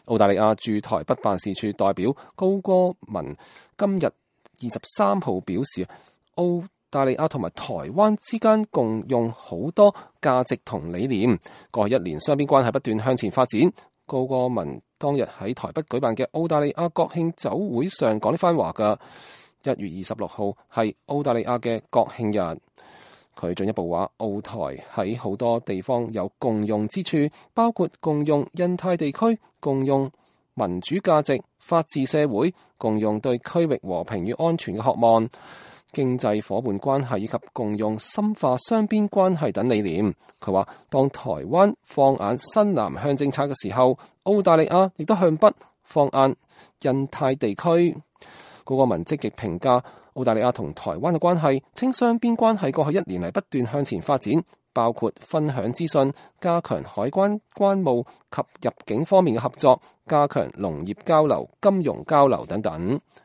澳大利亞駐台北辦事處代表高歌文今日23號表示，澳大利亞同埋台灣之間共用好多價值同理念，過去1年雙邊關係不斷向前發展。高歌文當日喺台北舉辦嘅澳大利亞國慶酒會上講呢番話㗎。1月26號係澳大利亞嘅國慶日。佢進一步話，澳台喺好多地方有共用之處，包括共用印太地區、共用民主價值、法治社會、共用對區域和平與安全嘅渴望、經濟夥伴關係以及共用深化雙邊關係等理念。佢話，當台灣放眼新南向政策嘅時候，澳大利亞亦都向北放眼印太地區。高歌文積極評價澳大利亞同台灣嘅關係，稱雙邊關係過去1年嚟不斷向前發展，包括分享資訊、加強海關關務及入境方面嘅合作、加強農業交流、金融交流等等。